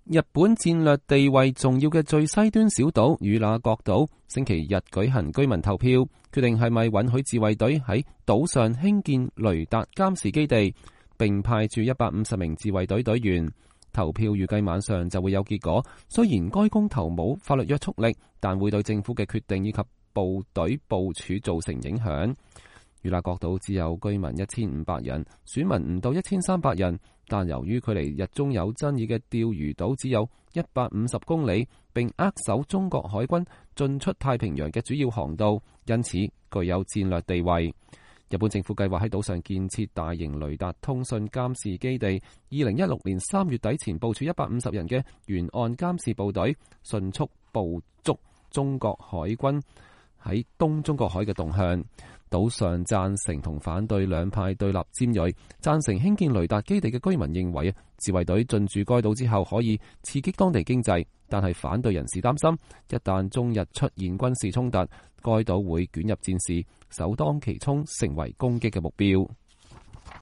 日本戰略地位重要嘅最西端小島與那國島星期日舉行居民投票，決定係咪允許自衛隊喺島上興建雷達監視基地，並派駐150名自衛隊隊員。投票預計晚上就會有結果。雖然該公投冇法律約束力，但會對政府嘅決定以及部隊部署造成影響。與那國島只有居民1500人，選民唔到1300人，但由於距離日中有爭議嘅釣魚島只有150公里，並扼守中國海軍進出太平洋嘅主要航道，因此具有戰略地位。日本政府計劃喺島上建設大型雷達通訊監視基地，2016年3月底前部署150人嘅沿岸監視部隊，迅速捕捉中國海軍喺東中國海嘅動向。島上贊成同反對兩派對立尖銳，贊成興建雷達基地嘅居民認為自衛隊進駐該島之後可以刺激當地經濟，但係反對人士擔心，一旦中日出現軍事衝突，該島會捲入戰事，首當其衝成為攻擊嘅目標。